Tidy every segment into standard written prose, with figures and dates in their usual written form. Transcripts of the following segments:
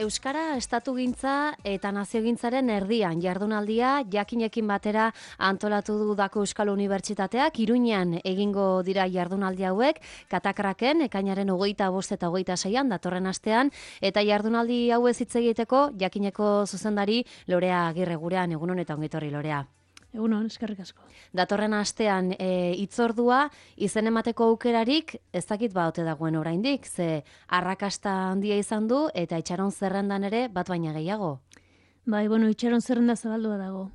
Euskara estatugintza eta naziogintzaren erdian jardunaldia jakinekin batera antolatu du Dako Euskal Unibertsitateak. Iruñean egingo dira jardunaldi hauek, Katakraken ekainaren 25 eta 26an datorren astean, eta jardunaldi hauez hitz egiteko jakineko zuzendari Lorea Agirre gurean. Egunon eta ongetorri, Lorea. Egunon, eskerrik asko. Datorren astean hitzordua izen emateko aukerarik ez dakit ote dagoen oraindik, ze arrakasta handia izan du eta itxaron zerrendan ere bat baina gehiago. Bai, itxaron zerrenda zabaldua dago.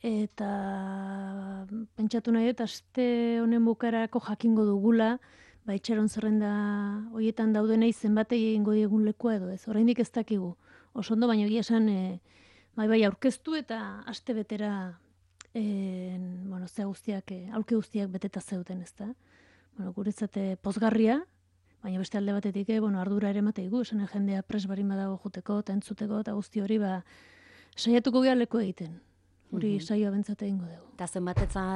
Eta pentsatu nahi dut, aste honen bukarako jakingo dugula, itxaron zerrenda horietan daudenei zenbatei egingo diegun lekua edo ez. Oraindik ez dakigu. Oso ondo, baina egia esan aurkeztu eta aste betera aulki guztiak beteta zeuden, ezta. Guretzat pozgarria, baina beste alde batetik ardura ere emateigu, esan jendea pres barin badago juteko eta entzuteko eta guzti hori saiatuko gara leku egiten. Hori saioa bentsat egingo dugu. Eta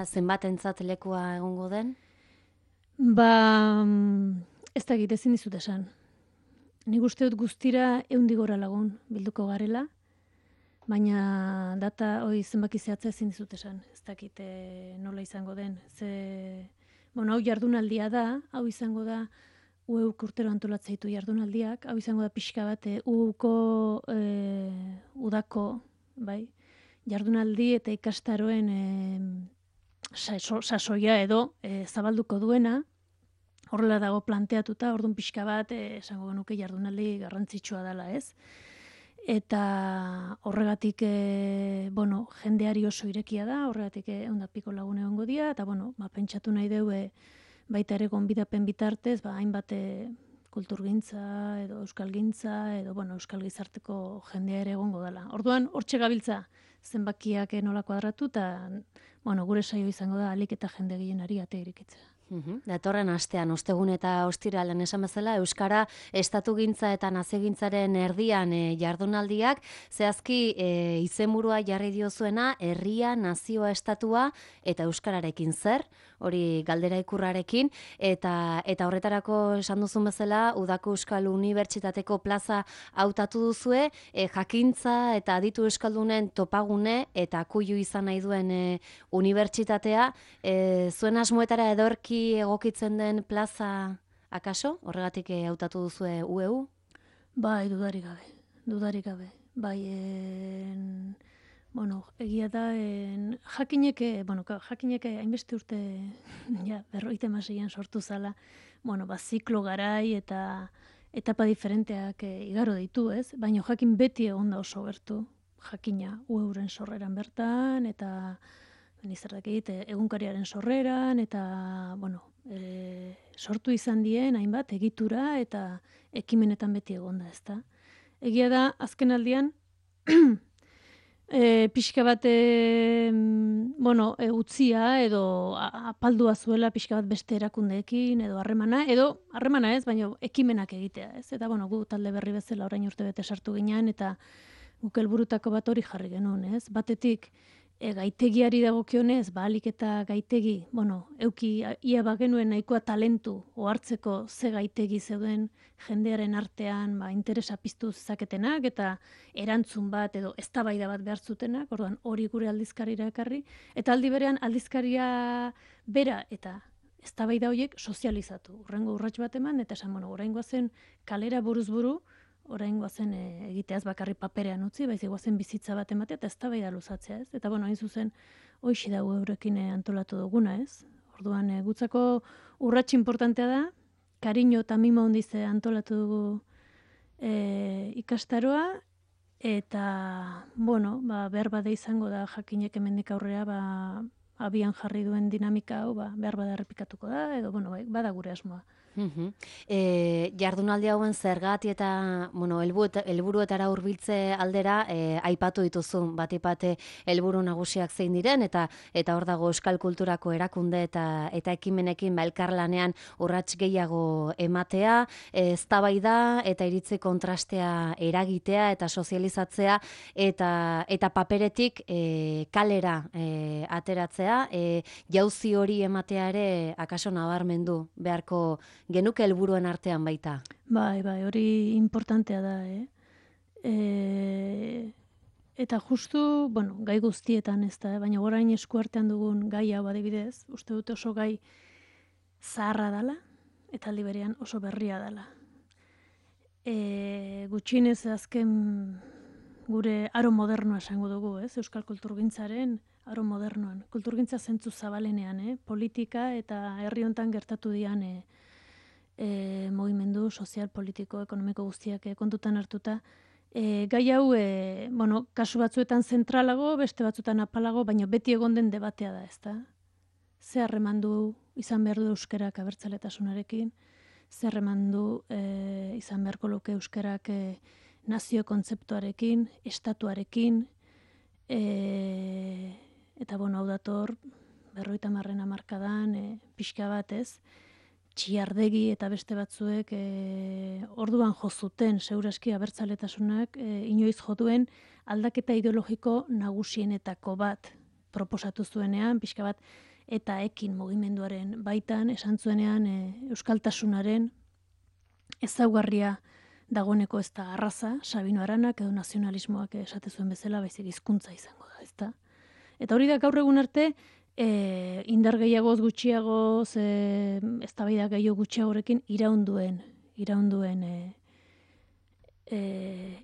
zenbatentzat lekua egongo den? Ez dakit ezin dizut esan. Nik uste dut guztira 100 gora lagun bilduko garela, baina data hori zenbaki zehatza ezin dizut esan. Ez dakit nola izango den. Hau jardunaldia da, hau izango da UEUk urtero antolatzaitu jardunaldiak, hau izango da pixka bat UEUko udako, jardunaldi eta ikastaroen sasoia edo zabalduko duena, horrela dago planteatuta, orduan pixka bat esango genuke jardunaldi garrantzitsua dela, ez? Eta horregatik jendeari oso irekia da, horregatik 100 lagun egongo dira, eta pentsatu nahi dugu baita ere gonbidapen bitartez, hainbat kulturgintza edo euskalgintza edo euskal gizarteko jendea ere egongo dela. Orduan hortxe gabiltza zenbakiak nola kuadratu eta gure saio izango da ahalik eta jende gehienari ate irekitzea. Datorren astean, ostegun eta ostiralean esan bezala, Euskara estatugintza eta naziogintzaren erdian jardunaldiak, zehazki izenburua jarri diozuena, herria, nazioa, estatua eta euskararekin zer, hori galdera ikurrarekin, eta horretarako esan duzun bezala, Udako Euskal Unibertsitateko plaza hautatu duzue, jakintza eta aditu euskaldunen topagune eta kuilu izan nahi duen unibertsitatea, zuen asmoetara edorki egokitzen den plaza akaso? Horregatik hautatu duzue UEU? Bai, dudarik gabe. Egia da, jakinek hainbeste urte, 56an sortu zala, ziklo garai eta etapa diferenteak igaro ditu, ez? Baina jakin beti egon da oso gertu, jakina UEUren sorreran bertan, eta nizerdakit egunkariaren sorreran, eta sortu izan dien hainbat egitura eta ekimenetan beti egonda, ezta. Egia da, azken aldian, pixka bat utzia edo apaldua zuela pixka bat beste erakundeekin edo harremana ez, baina ekimenak egitea, ez. Eta gu talde berri bezala orain urte bete sartu ginean eta guk helburutako bat hori jarri genuen, ez. Batetik, gaitegiari dagokionez, ahalik eta gaitegi, ia bagenuen nahikoa talentu ohartzeko ze gaitegi zeuden jendearen artean interesa piztu zezaketenak eta erantzun bat edo eztabaida bat behar zutenak, orduan hori gure aldizkarira ekarri, eta aldi berean aldizkaria bera eta eztabaida horiek sozializatu. Urrengo urrats bat eman, eta esan, oraingoa zen kalera buruz buru, oraingoa zen egiteaz bakarri paperean utzi, baizik goazen bizitza bat ematea eta eztabaida luzatzea, ez? Eta hain zuzen hoixe da eurekin antolatu duguna, ez? Orduan gutzako urrats inportantea da, kariño eta mimo handiz antolatu dugu ikastaroa, eta behar bada izango da jakinek hemendik aurrera abian jarri duen dinamika hau behar bada errepikatuko da, edo bada gure asmoa. Jardunaldi hauen zergati eta helburuetara hurbiltze aldera aipatu dituzu batipate helburu nagusiak zein diren eta hor dago euskal kulturako erakunde eta ekimenekin elkarlanean urrats gehiago ematea, eztabaida eta iritzi kontrastea eragitea eta sozializatzea eta paperetik kalera ateratzea, jauzi hori ematea ere akaso nabarmendu beharko genuke helburuen artean baita. Bai, hori importantea da, Eta justu, bueno, gai guztietan ez da, baina orain eskuartean dugun gai hau adibidez, uste dute oso gai zaharra dela, eta aldi berean oso berria dela. Gutxienez azken gure aro modernoa esango dugu, ez? Euskal kulturgintzaren aro modernoan. Kulturgintza zentzu zabalenean, politika eta herri hontan gertatu dian mugimendu sozial, politiko, ekonomiko guztiak kontutan hartuta, gai hau, bueno, kasu batzuetan zentralago, beste batzuetan apalago, baina beti egon den debatea da, ezta? Ze harremandu izan behar du euskerak abertzaletasunarekin, ze harremandu izan beharko luke euskerak nazio kontzeptuarekin, estatuarekin, eta bueno, hau dator, 50. hamarkadan, pixka bat ez, Txiardegi eta beste batzuek orduan jo zuten segurazki abertzaletasunak inoiz jo duen aldaketa ideologiko nagusienetako bat proposatu zuenean, pixka bat eta ekin mugimenduaren baitan esan zuenean euskaltasunaren ezaugarria dagoeneko ez da arraza, Sabino Aranak edo nazionalismoak esate zuen bezala, baizik hizkuntza izango da, ezta? Eta hori da gaur egun arte indar gehiagoz gutxiagoz, eztabaida gehiago gutxiagorekin iraunduen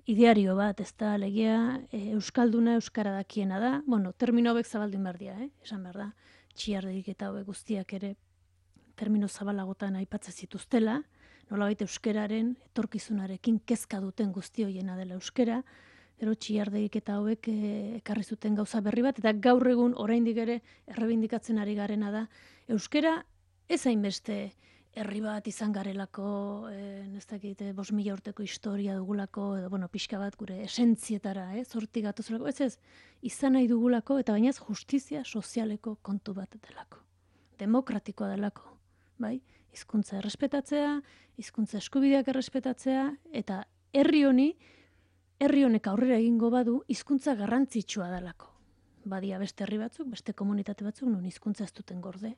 ideario bat, ez da, legia euskalduna euskara dakiena da, bueno, termino hauek zabaldin behar dira, esan behar da, Txiardegik eta hauek guztiak ere termino zabalagotan aipatzen zituztela, nolabait euskeraren etorkizunarekin kezka duten guzti hoiena dela euskera, gero Txiardegik eta hauek ekarri zuten gauza berri bat, eta gaur egun oraindik ere errebindikatzen ari garena da, euskera ez hainbeste herri bat izan garelako, ez dakit, 5.000 urteko historia dugulako, edo, bueno, pixka bat gure esentzietara, zortik gatozelako, ez, izan nahi dugulako, eta bainaz justizia sozialeko kontu bat delako. Demokratikoa delako, bai? Hizkuntza errespetatzea, hizkuntza eskubideak errespetatzea, eta herri honek aurrera egingo badu, hizkuntza garrantzitsua delako. Badia beste herri batzuk, beste komunitate batzuk, non hizkuntza ez duten gorde,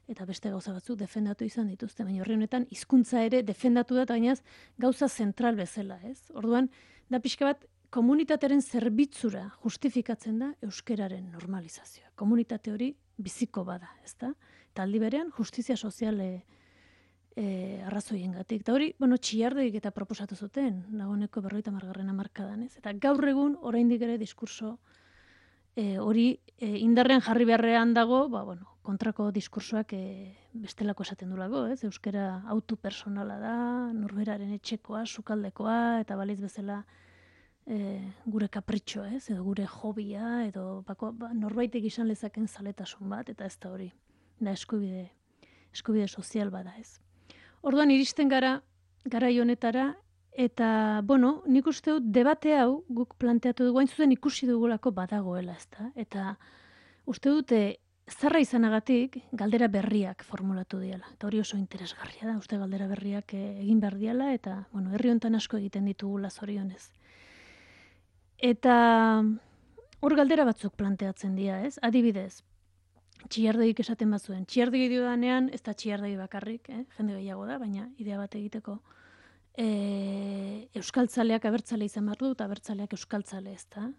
eta beste gauza batzuk defendatu izan dituzte, baina horri honetan hizkuntza ere defendatu da, baina gauza zentral bezala, ez? Orduan, da pixka bat, komunitatearen zerbitzura justifikatzen da euskeraren normalizazioa. Komunitate hori biziko bada, ez da? Eta aldi berean, justizia soziale arrazoiengatik. Eta hori, bueno, Txiardegik eta proposatu zuten, dagoeneko 50. hamarkadan, ez? Eta gaur egun, oraindik ere diskurso hori indarrean jarri beharrean dago, ba, bueno, kontrako diskursoak bestelako esaten dulako, ez? Euskera autu personala da, norberaren etxekoa, sukaldekoa, eta baliz bezala gure kapritxoa, ez? Edo gure hobia, edo norbaitek izan lezaken zaletasun bat, eta ez da hori, da eskubide sozial bada, ez? Orduan iristen gara, garai honetara, eta, bueno, nik uste dut debate hau guk planteatu dugu, hain zuzen ikusi dugulako badagoela, ezta? Eta uste dute zarra izanagatik galdera berriak formulatu diala. Eta hori oso interesgarria da, uste galdera berriak egin behar diala, eta, bueno, herri hontan asko egiten ditugula zorionez. Eta hor galdera batzuk planteatzen dira, ez? Adibidez, Txiardegik esaten bazuen. Txiardegi diodanean, ez da Txiardegi bakarrik, jende gehiago da, baina idea bat egiteko. Euskaltzaleak abertzale izan behar du, eta abertzaleak euskaltzale ez da.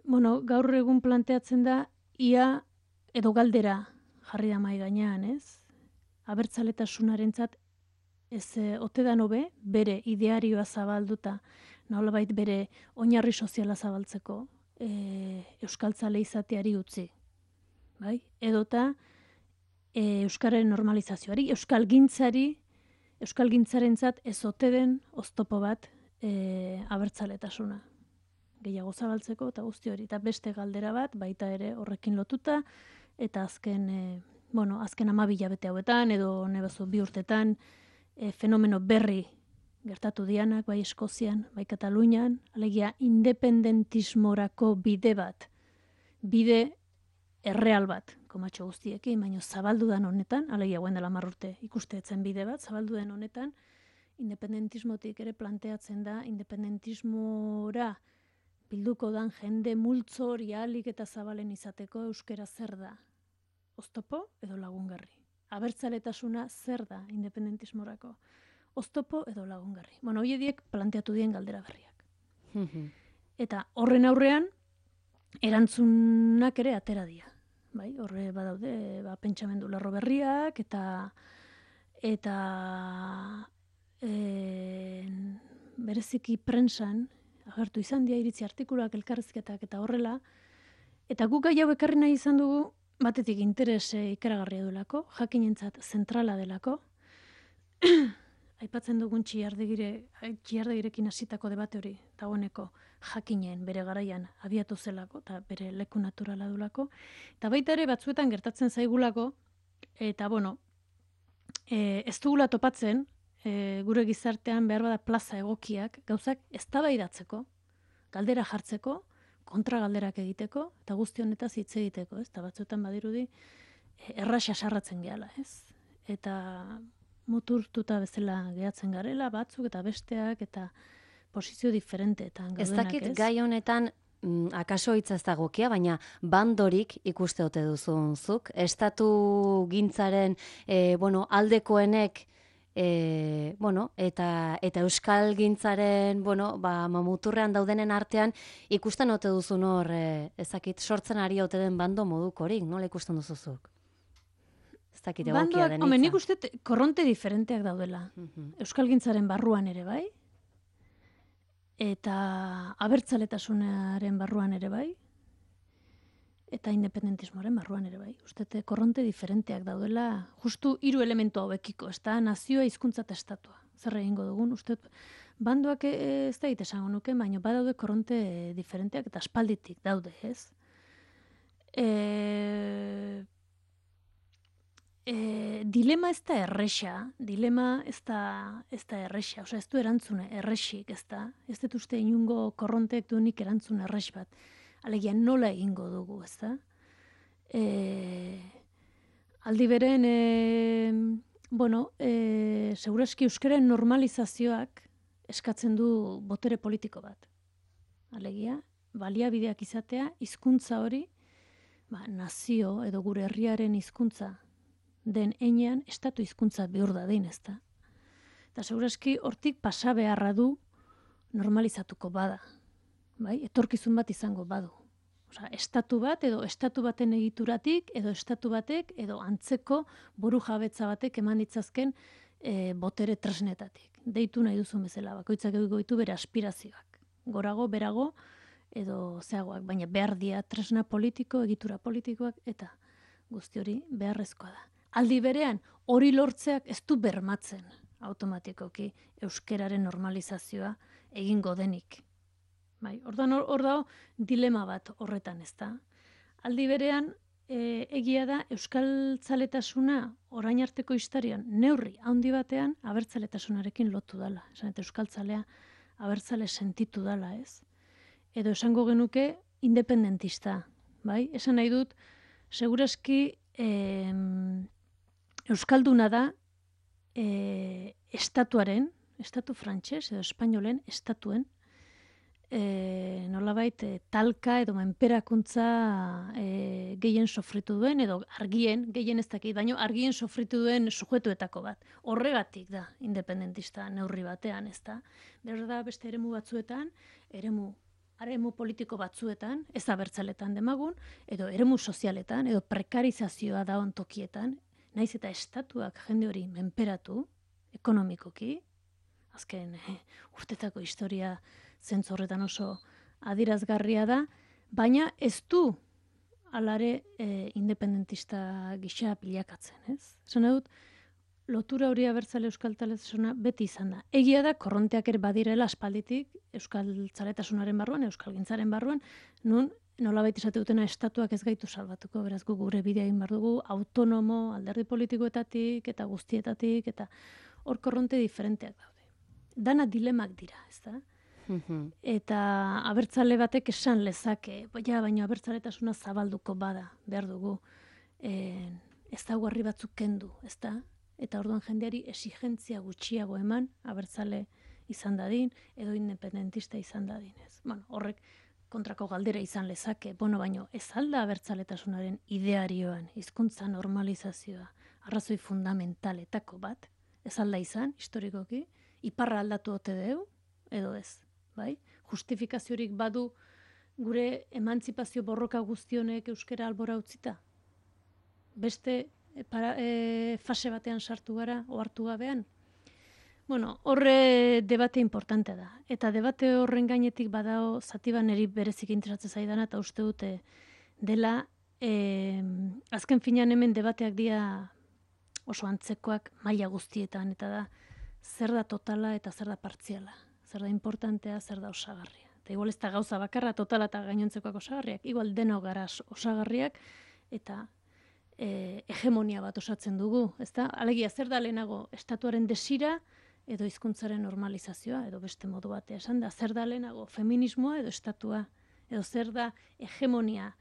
Bueno, gaur egun planteatzen da, ia edo galdera jarri da mai gainean, ez? Abertzaletasunarentzat ez ote da nobe, bere idearioa zabalduta, nolabait bere oinarri soziala zabaltzeko, euskaltzale izateari utzi, bai? Edota euskararen normalizazioari, euskalgintzarentzat ez ote den oztopo bat abertzaletasuna. Gehiago zabaltzeko eta guzti hori. Eta beste galdera bat, baita ere horrekin lotuta, eta azken 12 hilabete hauetan, edo nebazu 2 urtetan, fenomeno berri gertatu dianak, bai Eskozian, bai Katalunian, alegia independentismorako bide erreal bat, komatxo guztiekin, baina zabaldu den honetan, alegia guen dela 10 urte ikusteetzen bide bat, zabaldu den honetan, independentismotik ere planteatzen da, independentismora bilduko dan jende multzo hori ahalik eta zabalen izateko euskera zer da? Oztopo edo lagungarri? Abertzaletasuna zer da independentismorako? Oztopo edo lagungarri? Bueno, hoiediek planteatu dien galdera berriak. Eta horren aurrean, erantzunak ere atera dira. Bai, horre badaude, pentsamendu lerro berriak, eta bereziki prentsan, agertu izan dira iritzi artikuluak, elkarrizketak eta horrela, eta guk gai hau ekarri nahi izan dugu, batetik interes ikaragarria duelako, jakinentzat zentrala delako, aipatzen dugun txiardegirekin hasitako debate hori, dagoeneko jakinen bere garaian abiatu zelako, eta bere leku naturala dulako, eta baita ere batzuetan gertatzen zaigulako, eta ez dugula topatzen, gure gizartean behar bada plaza egokiak, gauzak eztabaidatzeko, galdera jartzeko, kontragalderak egiteko, eta guzti honetaz hitz egiteko, ez? Eta batzuetan badirudi, erraxa sarratzen gehala, ez? Eta muturtuta bezala gehatzen garela, batzuk eta besteak, eta posizio diferenteetan gaudenak, ez? Ez dakit gai honetan, akaso hitza ez dagokia, baina bandorik ikuste ote duzun zuk. Estatu gintzaren, aldekoenek, eta euskal gintzaren, muturrean daudenen artean, ikusten ote duzun hor, ezakit, sortzen ari ote den bando modukorik, nola ikusten duzuzuk? Ez dakit egokia den hitza. Nik uste korronte diferenteak daudela. Euskal gintzaren barruan ere bai, eta abertzaletasunaren barruan ere bai, eta independentismoaren barruan ere bai. Ustete korronte diferenteak daudela, justu 3 elementu hauekiko, ez da, nazioa, hizkuntza eta estatua. Zer egingo dugun, ustet, bandoak ez da esango nuke, baina badaude korronte diferenteak eta aspalditik daude, ez? Dilema ez da erresa, dilema ez da erresa, ez du erantzune erresik, ez da, ez dut uste inungo korronteek duenik erantzune erres bat. Alegia nola egingo dugu, ez da? Aldi beren, segurazki euskaren normalizazioak eskatzen du botere politiko bat. Alegia, baliabideak izatea, hizkuntza hori, nazio edo gure herriaren hizkuntza den heinean, estatu hizkuntza bihur dadin, ez da? Eta segurazki hortik pasa beharra du normalizatuko bada. Bai, etorkizun bat izango badu. Osea, estatu bat edo estatu baten egituratik edo estatu batek edo antzeko burujabetza batek eman ditzazken botere tresnetatik. Deitu nahi duzun bezala, bakoitzak egoitu bere aspirazioak. Gorago, berago edo zeagoak, baina behar dia tresna politiko, egitura politikoak eta guzti hori beharrezkoa da. Aldi berean, hori lortzeak ez du bermatzen automatikoki euskeraren normalizazioa egingo denik. Bai, hor dago dilema bat horretan, ez da. Aldi berean, egia da euskaltzaletasuna orain arteko historian neurri handi batean abertzaletasunarekin lotu dala. Esan eta euskaltzalea abertzale sentitu dala, ez? Edo esango genuke independentista, bai? Esan nahi dut, segurazki euskalduna da estatu frantses edo espainolen estatuen nolabait talka edo menperakuntza gehien sofritu duen edo argien, gehien ez dakit, baina argien sofritu duen sujetuetako bat. Horregatik da independentista neurri batean, ez da? Berda beste eremu batzuetan, eremu politiko batzuetan, ez abertzaletan demagun, edo eremu sozialetan, edo prekarizazioa da ontokietan, naiz eta estatuak jende hori menperatu, ekonomikoki, azken urtetako historia zentzu horretan oso adirazgarria da, baina ez du alare independentista gisa bilakatzen, ez? Esan dut, lotura hori abertzale euskaltzaletasuna beti izan da. Egia da, korronteak ere badirela aspalditik euskaltzaletasunaren barruan, euskalgintzaren barruan, nun nolabait esate dutena estatuak ez gaitu salbatuko, beraz gu gure bidea egin behar dugu, autonomo, alderdi politikoetatik eta guztietatik, eta hor korronte diferenteak daude. Dana dilemak dira, ez da? Eta abertzale batek esan lezake, baina abertzaletasuna zabalduko bada, behar dugu, ez da guarri batzuk kendu, ez da? Eta orduan jendeari exigentzia gutxiago eman, abertzale izan dadin, edo independentista izan dadin, ez? Horrek kontrako galdera izan lezake, baino ez alda abertzaletasunaren idearioan, hizkuntza normalizazioa, arrazoi fundamentaletako bat, ez alda izan, historikoki, iparra aldatu ote deu, edo ez. bai? Justifikaziorik badu gure emantzipazio borroka guztionek euskara albora utzita? Beste fase batean sartu gara, ohartu gabean? Bueno, horre debate importantea da. Eta debate horren gainetik badao zati bat niri berezik interesatzen zaidana, eta uste dute dela, azken finean hemen debateak dira oso antzekoak maila guztietan, eta da, zer da totala eta zer da partziala. Zer da importantea, zer da osagarria. Eta igual ez da gauza bakarra totala eta gainontzekoak osagarriak, igual denok gara osagarriak, eta hegemonia bat osatzen dugu, ezta? Alegia, zer da lehenago, estatuaren desira, edo hizkuntzaren normalizazioa, edo beste modu batea esan da, zer da lehenago, feminismoa edo estatua, edo zer da hegemonia,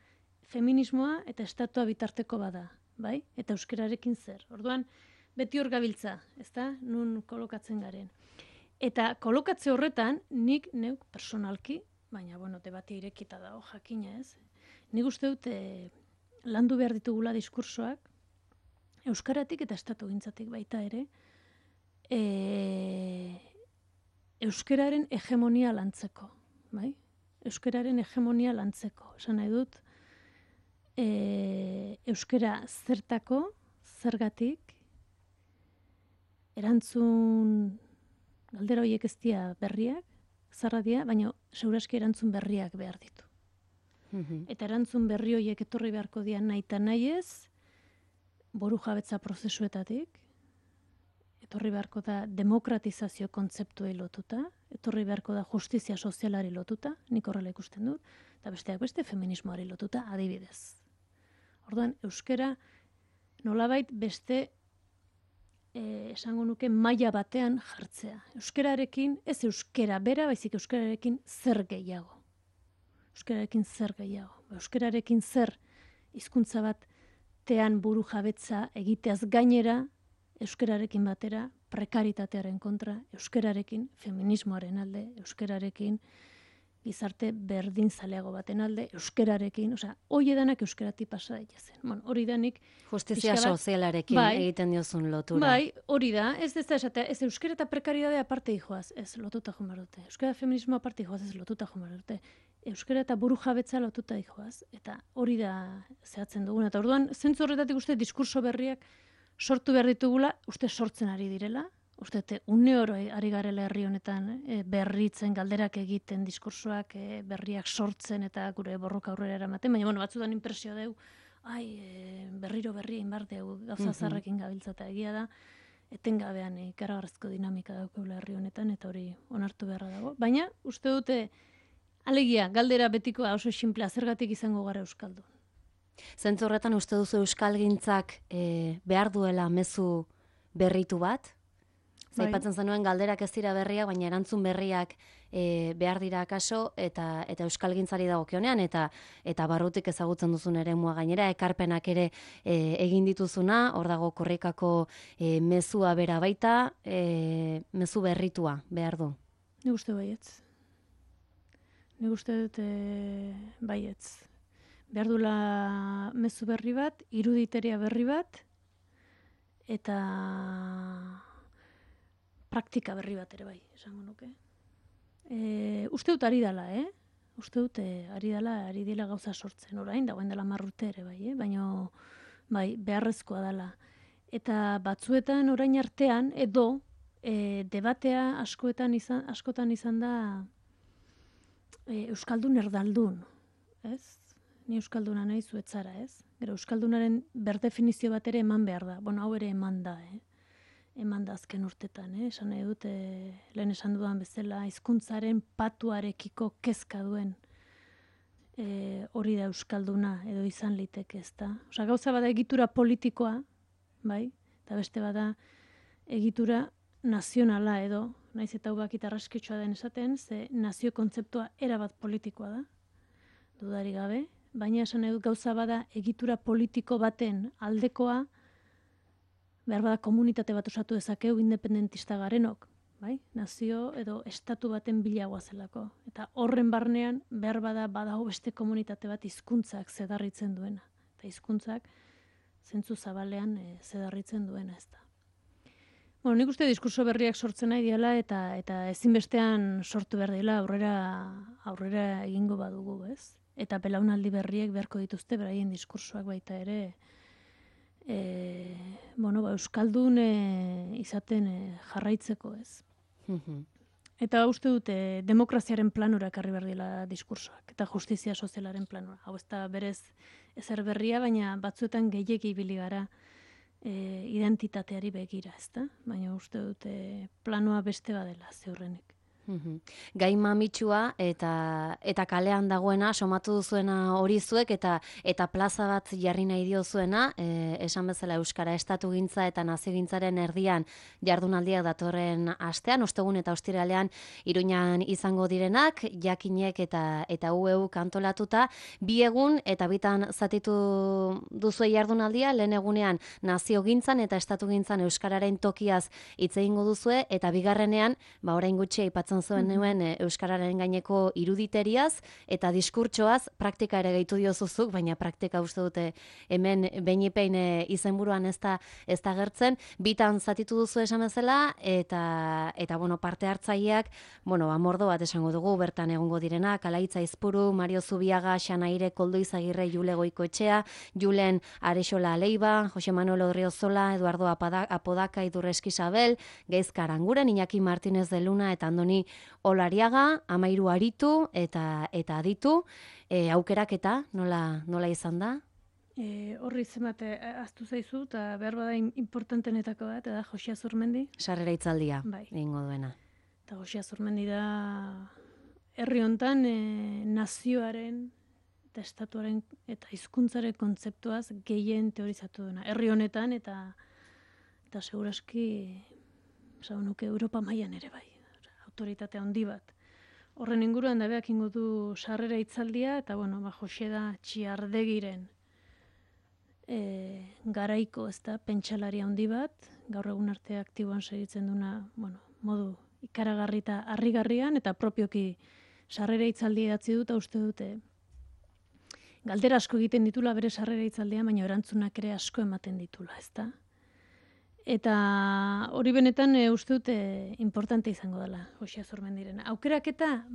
feminismoa eta estatua bitarteko bada, bai? Eta euskararekin zer. Orduan, beti hor gabiltza, ezta? Nun kolokatzen garen. Eta kolokatze horretan, nik neuk personalki, baina, bueno, debatea irekita dago, jakina ez, nik uste dut landu behar ditugula diskursoak, euskaratik eta estatu gintzatik baita ere, euskararen hegemonia lantzeko, bai? Euskararen hegemonia lantzeko. Esan nahi dut, euskara zertako, zergatik, erantzun galdera horiek ez dira berriak, zarra dira, baina seguraski erantzun berriak behar ditu. Eta erantzun berri horiek etorri beharko dira nahi eta nahi ez, boru jabetza prozesuetatik, etorri beharko da demokratizazio kontzeptuei lotuta, etorri beharko da justizia sozialari lotuta, nik horrela ikusten dut, eta besteak beste feminismoari lotuta adibidez. Orduan, euskara nolabait beste esango nuke maila batean jartzea. Euskararekin, ez euskara bera, baizik euskararekin zer gehiago. Euskararekin zer gehiago. Euskararekin zer hizkuntza batean buru jabetza egiteaz gainera, euskararekin batera prekaritatearen kontra, euskararekin feminismoaren alde, euskararekin gizarte berdinzaleago baten alde, euskararekin, osea, hoi edanak euskaratik pasa daitezen. Bueno, hori danik justizia sozialarekin egiten diozun lotura. Bai, hori da, ez esatea, ez euskara eta prekaridadea aparte dijoaz, ez lotuta joan behar dute. Euskara feminismo aparte dijoaz, ez lotuta joan behar dute. Euskara eta buru jabetza lotuta dijoaz, eta hori da zehatzen duguna. Eta orduan, zentzu horretatik uste diskurso berriak sortu behar ditugula, uste sortzen ari direla, uste une oro ari garela herri honetan berritzen, galderak egiten, diskursoak berriak sortzen eta gure borroka aurrera eramaten, baina bueno, batzutan impresio deu, berriro berri egin behar deu, gauza zarrekin gabiltza eta egia da, etengabean ikaragarrizko dinamika daukagula herri honetan, eta hori onartu beharra dago. Baina, uste dute, alegia, galdera betikoa oso sinplea, zergatik izango gara euskaldun. Zentzu horretan uste duzu euskalgintzak behar duela mezu berritu bat? Zaipatzen zenuen galderak ez dira berriak, baina erantzun berriak behar dira akaso, eta euskalgintzari dagokionean, eta barrutik ezagutzen duzun eremua gainera, ekarpenak ere egin dituzuna, hor dago korrikako mezua bera baita, mezu berritua behar du. Nik uste baietz. Nik uste dut baietz. Behar dula mezu berri bat, iruditeria berri bat, eta praktika berri bat ere bai, esango nuke. Uste dut ari dela, Uste dut ari dela gauza sortzen, orain, dagoen dela 10 urte ere bai, baina bai, beharrezkoa dela. Eta batzuetan orain artean, edo debatea askotan izan da euskaldun erdaldun, ez? Ni euskalduna nahi zuetzara, ez? Gero euskaldunaren berdefinizio bat ere eman behar da. Bueno, hau ere eman da, eman da azken urtetan, esan nahi dut, lehen esan dudan bezala, hizkuntzaren patuarekiko kezka duen hori da euskalduna edo izan liteke, ez da. Osa, gauza bada egitura politikoa, bai, eta beste bada egitura nazionala edo, naiz eta hau bakit arraskitsua den esaten, ze nazio kontzeptua erabat politikoa da, dudari gabe, baina esan nahi dut gauza bada egitura politiko baten aldekoa, behar bada komunitate bat osatu dezakeu independentista garenok, bai? Nazio edo estatu baten bilagoa zelako. Eta horren barnean behar badago beste komunitate bat hizkuntzak zedarritzen duena. Eta hizkuntzak zentzu zabalean zedarritzen duena ez da. Bueno, nik uste diskurso berriak sortzen nahi diala eta ezinbestean sortu behar dela aurrera egingo badugu, ez? Eta belaunaldi berriek beharko dituzte beraien diskursoak baita ere euskaldun izaten jarraitzeko, ez? Mhm. Eta uste dute demokraziaren planura ekarri behar dela diskursoak eta justizia sozialaren planura. Hau ez da berez ezer berria, baina batzuetan gehiegi ibili gara identitateari begira, ezta? Baina uste dute planoa beste badela ziurrenik. Mhm. Gai mamitsua eta kalean dagoena somatu duzuena hori zuek eta plaza bat jarri nahi diozuena, esan bezala euskara estatugintza eta naziogintzaren erdian jardunaldiak datorren astean, ostegun eta ostiralean Iruñan izango direnak, jakinek eta UEU kantolatuta, 2 egun eta bitan zatitu duzue jardunaldia, lehen egunean naziogintzan eta estatugintzan euskararen tokiaz hitz egingo duzue eta bigarrenean, orain gutxi aipatzen zuen nuen euskararen gaineko iruditeriaz eta diskurtsoaz praktika ere gehitu diozuzuk, baina praktika uste dute hemen beinipein izenburuan ez da agertzen. Bitan zatitu duzu esan bezala eta bueno, parte hartzaileak, mordo bat esango dugu bertan egongo direnak, Alaitza Izpuru, Mario Zubiaga, Xanaire Koldo Izagirre, Jule Goikoetxea, Julen Arexola Aleiba, Jose Manuel Odriozola, Eduardo Apodaca, Idurreski Isabel, Gaizka Aranguren, Iñaki Martínez de Luna eta Andoni Olariaga, 13 aritu eta aditu, aukeraketa nola izan da? Horri zemate aztu zaizu eta behar bada importantenetako bat, da Josia Zurmendi. Sarrera hitzaldia Bai. egingo duena. Eta Josia Zurmendi da herri hontan nazioaren eta estatuaren eta hizkuntzaren kontzeptuaz gehien teorizatu duena. Herri honetan eta segurazki nuke Europa mailan ere bai. Autoritate handi bat. Horren inguruan da beak ingo du sarrera hitzaldia eta Jose da Txiardegiren garaiko, ezta, pentsalari handi bat, gaur egun arte aktiboan segitzen duna, modu ikaragarri eta harrigarrian eta propioki sarrera hitzaldia idatzi dut, uste dute galdera asko egiten ditula bere sarrera hitzaldia, baina erantzunak ere asko ematen ditula, ezta? Eta hori benetan uste dute importante izango dela, Josia Zurmendiren. Aukeraketa,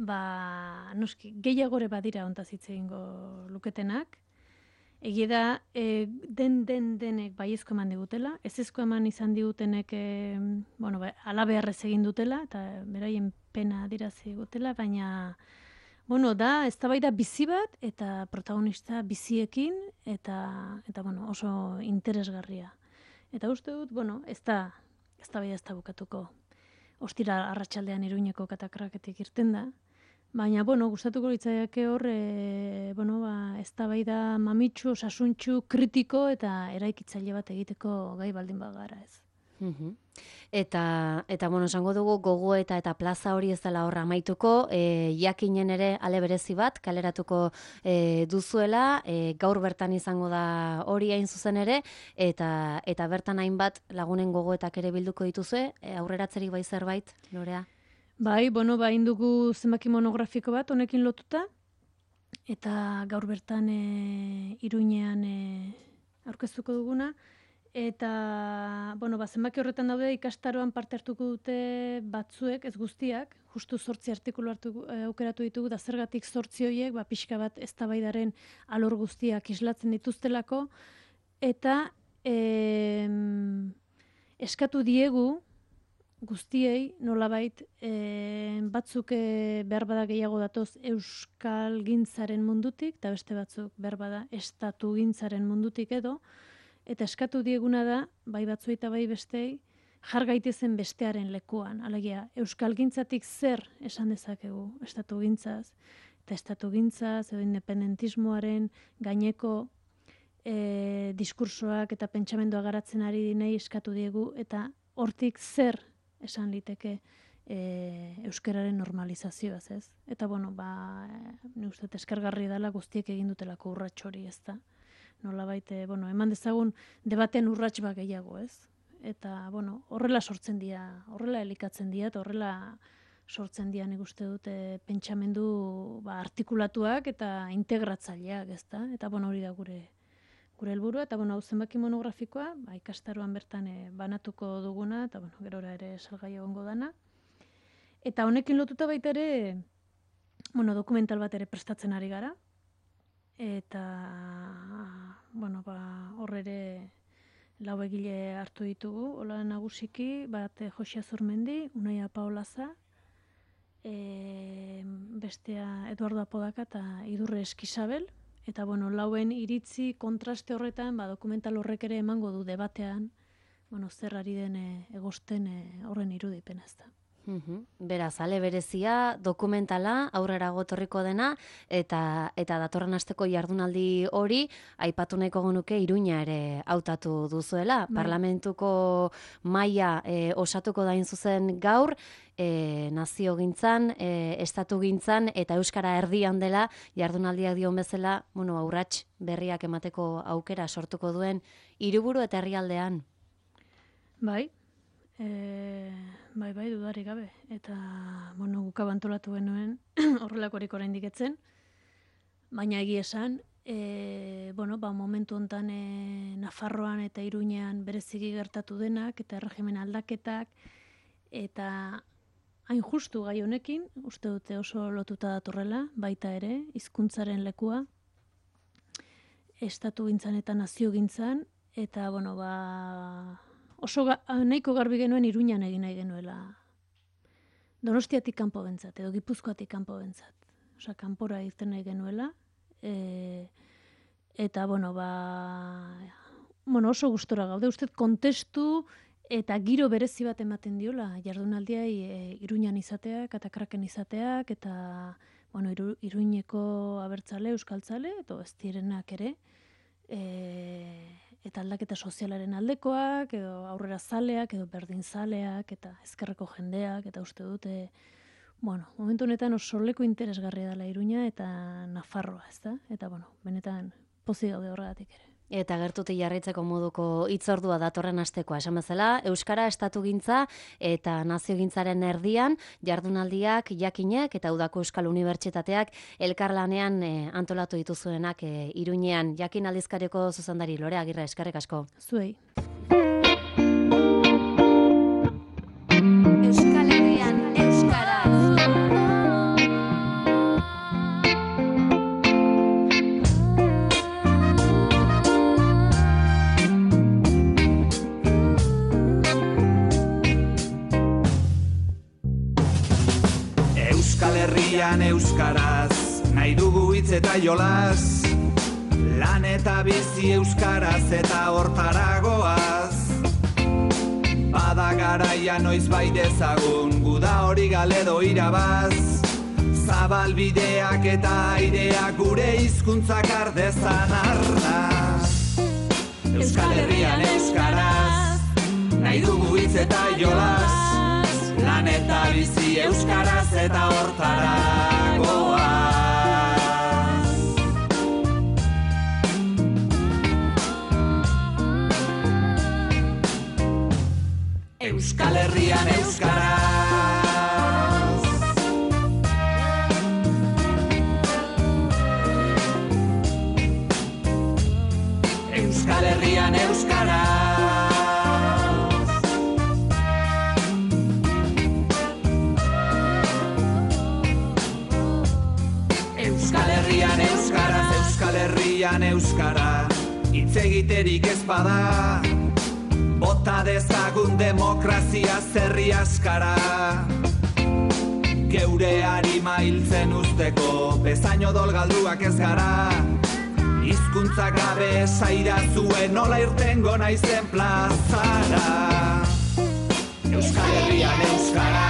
noski, gehiagore badira hontaz hitz egingo luketenak. Egia da, denek baiezko eman digutela, ezezko eman izan digutenek, alabeharrez egin dutela, eta beraien pena adirazi digutela, baina, da, eztabaida bizi bat, eta protagonista biziekin, eta oso interesgarria. Eta uste dut, ez da bukatuko. Ostira arratsaldean Iruñeko katakraketik irten da. Baina, gustatuko litzaiake hor, eztabaida mamitsu, osasuntsu, kritiko eta eraikitzaile bat egiteko gai baldin bagara, ez. Eta esango dugu gogo eta plaza hori ez dela horra amaituko, jakinen ere ale berezi bat kaleratuko duzuela, gaur bertan izango da hori hain zuzen ere, eta bertan hainbat lagunen gogoetak ere bilduko dituzue, aurreratzerik bai zerbait, Lorea? Bai, indugu zenbaki monografiko bat honekin lotuta, eta gaur bertan Iruñean aurkeztuko duguna, eta, zenbaki horretan daude ikastaroan parte hartuko dute batzuek, ez guztiak, justu 8 artikulu aukeratu ditugu, da zergatik 8 horiek, pixka bat eztabaidaren alor guztiak islatzen dituztelako, eta eskatu diegu guztiei nolabait batzuk behar bada gehiago datoz euskal gintzaren mundutik, eta beste batzuk behar bada estatu gintzaren mundutik edo, eta eskatu dieguna da, bai batzuei eta bai bestei, jar gaitezen bestearen lekuan. Alegia, euskalgintzatik zer esan dezakegu estatugintzaz, eta estatugintzaz edo independentismoaren gaineko diskursoak eta pentsamendua garatzen ari dinei eskatu diegu, eta hortik zer esan liteke euskararen normalizazioaz, ez? Eta, ni uste eskergarri dela guztiek egin dutelako urrats hori, ez da? Nolabait, eman dezagun debaten urrats bat gehiago, ez? Eta, horrela sortzen dira, horrela elikatzen dira, eta horrela sortzen dira, nik uste dute pentsamendu artikulatuak eta integratzaileak, ez da? Eta, hori da gure gure helburua, eta hau zenbaki monografikoa, ikastaroan bertan banatuko duguna, eta gerora ere salgai egongo dana. Eta honekin lotuta baita ere, dokumental bat ere prestatzen ari gara, eta hor ere 4 egile hartu ditugu, hola nagusiki, bat Josia Zurmendi, Unaia Paolaza, bestea Eduardo Apodaka eta Idurre Eskizabel, eta 4 iritzi kontraste horretan, dokumental horrek ere emango du debatean, zer ari den egosten horren irudipena ez da. Beraz, ale berezia, dokumentala, aurrera gotorriko dena, eta datorren asteko jardunaldi hori, aipatu nahiko genuke Iruña ere hautatu duzuela. Parlamentuko maila osatuko dain zuzen gaur, naziogintzan, estatugintzan, eta euskara erdian dela, jardunaldiak dion bezala, aurrats berriak emateko aukera sortuko duen hiriburu eta herrialdean. Bai, dudarik gabe. Eta, guk abantolatu genuen horrelakorik oraindik etzen, baina egia esan, momentu hontan Nafarroan eta Iruñean bereziki gertatu denak, eta erregimen aldaketak, eta hain justu gai honekin, uste dute oso lotuta datorrela, baita ere, hizkuntzaren lekua, estatugintzan eta naziogintzan, eta, oso nahiko garbi genuen Iruñan egin nahi genuela. Donostiatik kanpo bentzat, edo Gipuzkoatik kanpo bentzat. Osa, kanpora irten nahi genuela. Eta, oso gustora gaude. Uste kontestu eta giro berezi bat ematen diola. Jardunaldiai Iruñan izateak, eta Kraken izateak, eta, Iruñeko abertzale, euskaltzale, eta ez direnak ere. Eta aldaketa sozialaren aldekoak, edo aurrera zaleak, edo berdin zaleak, eta ezkerreko jendeak, eta uste dute, momentu honetan oso leku interesgarria dela Iruña eta Nafarroa, ez da? Eta, benetan pozik gaude horregatik ere. Eta gertutik jarraitzeko moduko hitzordua datorren astekoa, esan bezala, euskara estatugintza eta naziogintzaren erdian, jardunaldiak, jakinak eta Udako Euskal Unibertsitateak elkarlanean antolatu dituzuenak Iruñean. Jakin aldizkariko zuzendari Lore Agirre, eskerrik asko. Zuei. Euskal Herrian euskaraz. Euskal Herrian euskaraz, nahi dugu hitz eta jolas, lan eta bizi euskaraz eta hortaragoaz. Bada garaia noiz bai dezagun, guda hori galedo irabaz, zabalbideak eta aireak gure hizkuntzak ardezan arnaz. Euskal Herrian euskaraz, nahi dugu hitz eta jolas, lan eta bizi euskaraz eta hortaragoaz. Euskal Herrian euskaraz. Euskal Herrian euskaraz. Euskal Herrian euskaraz, Euskal Herrian euskara, hitz egiterik ez bada, bota dezagun demokrazia zerri askara. Geure harima hiltzen usteko, bezain odol galduak ez gara, hizkuntza gabe saira zuen nola irtengo naizen plazara. Euskal Herrian euskara,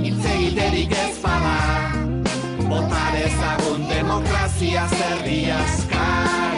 hitz egiterik ez bada, bota dezagun demokrazia zerri askara.